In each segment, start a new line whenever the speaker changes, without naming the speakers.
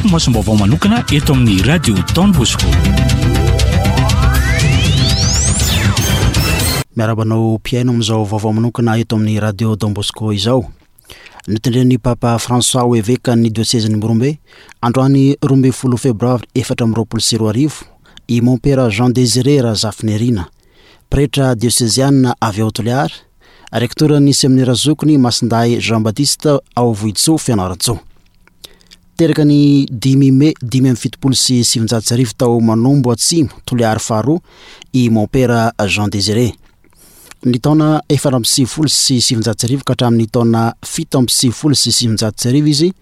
Tapimasom-baovao manokana eto amin'ny Radio Don Bosco.
Miarahaba anao mpihaino amin'izao vaovao manokana eto amin'ny Radio Don Bosco izao. Notendren'ny Papa François ho evekan'ny diosezin'i Morombe, androany 12 febroary 2024, i Mompera Jean Désiré Razafinirina. Pretra dioseziana avy ao Toliara, rektoran'ny seminera zokiny Masindahy Jean Baptiste ao Vohitsoa Fianarantsoa. Teraka ny dimy mey 1975 tao Manombo Atsimo, Toliary faharoa, i Mompera Jean Désiré. Ny taona 1994 ka hatramin'ny taona 1997 izy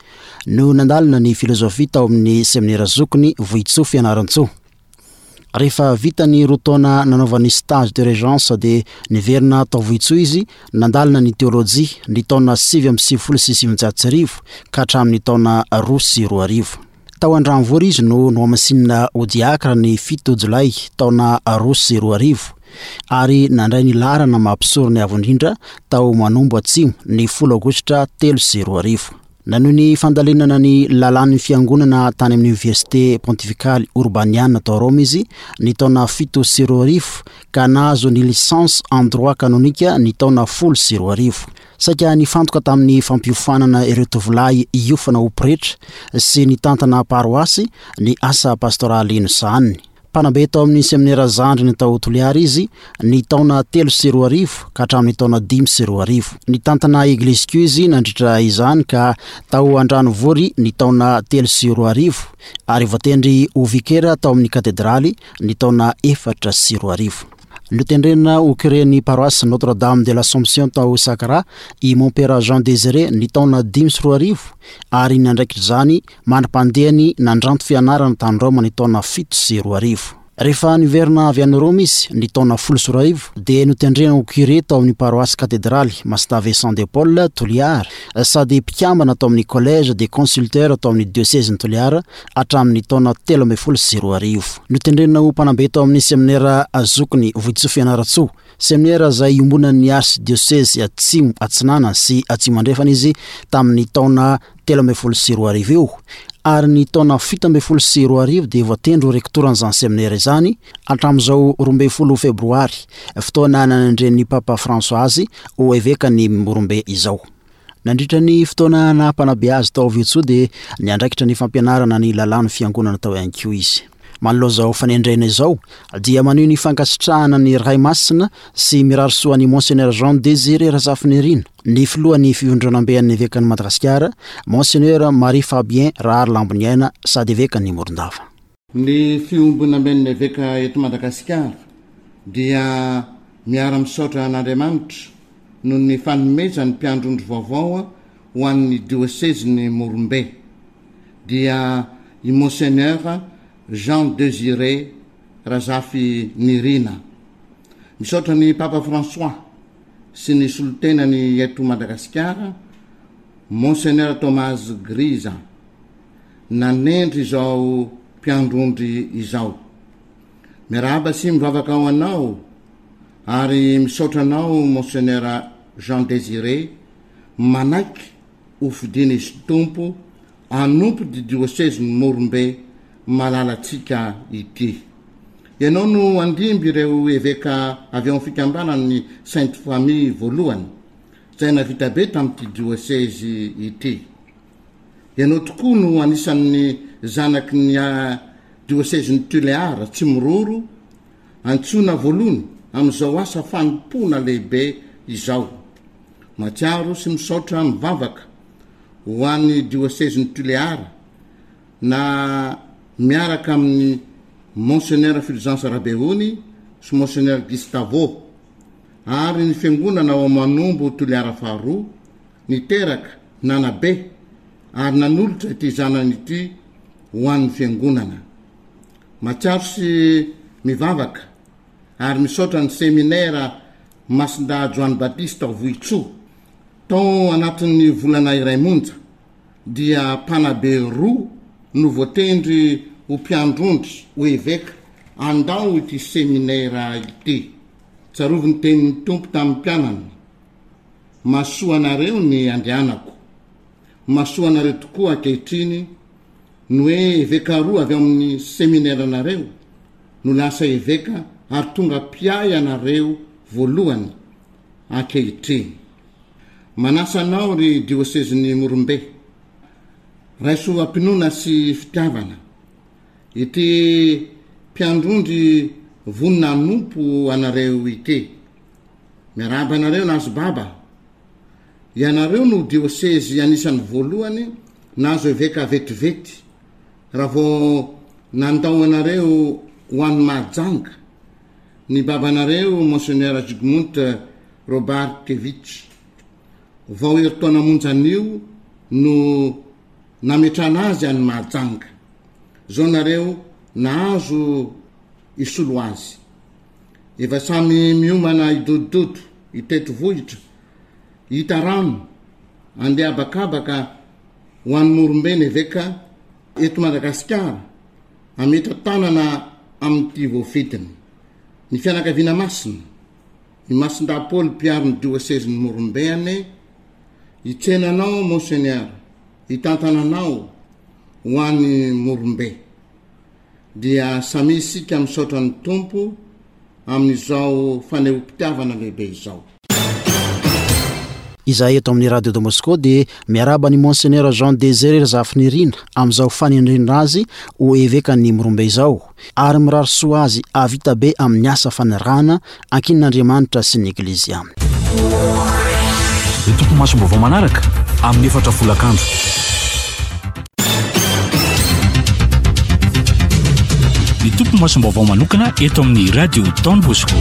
no nandalina ny filozofia tao amin'ny seminera zokiny Vohitsoa Fianarantsoa. Rehefa vita ny roa taona nanaovany stage de régence dia niverina tao Vohitsoa izy nandalina ny teolojia ny taona 1999 ka hatramin'ny taona 2002. Tao Andranovory izy no nohamasinina ho diakra ny 7 jolay taona 2002 ary nandray ny laharana maha mpisorona avo indrindra tao Manombo Atsimo ny 10 aogositra 2003. Nanohy ny fandalinana ny lalàn'ny fiangonana tany amin'ny Oniversite Pontifikaly Urbaniana tao Roma izy ny taona 2007 ka nahazo ny licence en droit canonique ny taona 2010. Saika nifantoka tamin'ny fampiofanana ireo tovolahy hiofana ho pretra sy nitantana paroasy ny asa pastoraly nosahaniny. Mpanabe tao amin'ny seminera zandriny tao Toliara izy ny taona 2003 ka hatramin'ny taona 2005. Nitantana eglizy koa izy nandritra izany ka tao Andranovory ny taona 2003 ary voatendry ho vikera tao amin'ny katedraly ny taona 2004. Notendrena ho curen'ny paroasy Notre Dame de l'Assomption tao Sakara i Mompera Jean Désiré ny taona 2005 ary niandraikitra izany mandra-pandehany nandranto fianarana tany Roma ny taona 2007. Rehefa niverina avy any Roma izy ny taona 2010 dia notendrena ho curé tao amin'ny paroasy katedraly Masitave Saint de Paul, Toliara, sady mpikambana tao amin'ny Collège des Consulteurs tao amin'ny diosezin'i Toliara hatramin'ny taona 2013. Notendrena ho mpanabe tao amin'ny seminera zokiny Vohitsoa Fianarantsoa, seminera izay iombonan'ny arsidiosezy Atsimo Atsinanana sy Atsimo Andrefana izy tamin'ny taona 2013 io, ary ny taona 2017 dia voatendry ho rektoran'izany seminera izany hatramin'izao 12 febroary, fotoana nanendren'ny Papa François azy ho evekan'i Morombe izao. Nandritra ny fotoana naha mpanabe azy tao Viotsoa dia niandraikitra ny fampianarana ny lalàn'ny fiangonana tao ihany koa izy. Manoloana izao fanendrena izao dia maneho ny fankasitrahana ny Ray Masina sy mirary soa an'i Monseigneur Jean Désiré Razafinirina, ny filohan'ny Fivondronamben'ny Evekan'i Madagasikara, Monseigneur Marie Fabien Raharilamboniaina sady Evekan'i Morondava.
Ny Fiombonamben'ny Eveka eto Madagasikara dia miara-misaotra an'Andriamanitra noho ny fanomezany mpiandry ondry vaovao ho an'ny diosezin'i Morombe, dia i Monseigneur Jean Désiré Razafinirina. Misaotra ny Papa François sy ny solontenany eto Madagasikara, Monseigneur Thomas Grisa, nanendry izao mpiandry ondry izao. Miarahaba sy mivavaka ho anao ary misaotra anao Monseigneur Jean Désiré manaiky ho fidin'izy Tompo hanompo ity diosezin'i Morombe malalantsika ity. Ianao no handimby ireo eveka avy ao amin'ny fikambanan'ny Sainte Famille voalohany izay navita be tamin'ity diosezy ity. Ianao tokoa no anisan'ny zanaky ny diosezin'i Tulear, Tsimiroro, antsoina voalohany amin'izao asa fanompoana lehibe izao. Mahatsiaro sy misaotra mivavaka ho an'ny diosezin'i Tulear na miaraka amin'i Monseigneur Fulgence Rabeony sy Monseigneur Gustavo ary ny fiangonana ao Manombo Toliara faharoa niteraka, nanabe ary nanolotra ity zanany ity ho an'ny Fiangonana. Mahatsiaro sy mivavaka ary misaotra ny Seminera Masindahy Joany Batista ao Vohitsoa. Tao anatin'ny volana iray monja dia mpanabe roa no voatendry ho mpiandry ondry, ho eveka, handao ity seminera ity. Tsarovy ny tenin'ny Tompo tamin'ny mpianany. Mahasoa anareo ny andrianako. Mahasoa anareo tokoa ankehitriny. Ny hoe eveka roa avy ao amin'ny semineranareo no lasa eveka ary tonga mpiahy anareo voalohany ankehitriny. Manasa anao ry diosezin'i Morombe, raiso am-pinoana sy fitiavana ity mpiandrondry vonona hanompo anareo ity. Miarahaba anareo nahazo baba. Ianareo no diosezy anisan'ny voalohany nahazo eveka vetivety raha vao nandao anareo ho any Mahajanga ny babanareo Monseigneur Zygmunt Robarkiewicz. Vao herintaona monja anio no nametrahana azy any Mahajanga. Zao nareo nahazo hisolo azy. Efa samy miomana hidodododo hitety vohitra, hita rano, andeha habakabaka ho any Morombe ny eveka eto Madagasikara hametra-tanana amin'ity voafidiny. Ny fianakaviana masina, i Masindahy Paoly mpiaro ny diosezin'i Morombe anie hitsena anao Monseigneur, hitantana anao ho any Morombe. Dia samia isika misaotra ny Tompo amin'izao fanehoam-pitiavana lehibe izao.
Izahay eto amin'ny Radio Don Bosco dia miarahaba an'i Monseigneur Jean Désiré Razafinirina amin'izao fanendrena azy ho evekan'ny Morombe izao ary mirary soa azy hahavita be amin'ny asa fanirahana ankinin'Andriamanitra sy ny Eglizy aminy.
Ny topi-masom-baovao manaraka amin'ny efatra folakandro. Ny topi-masom-baovao manokana eto amin'ny Radio Don Bosco.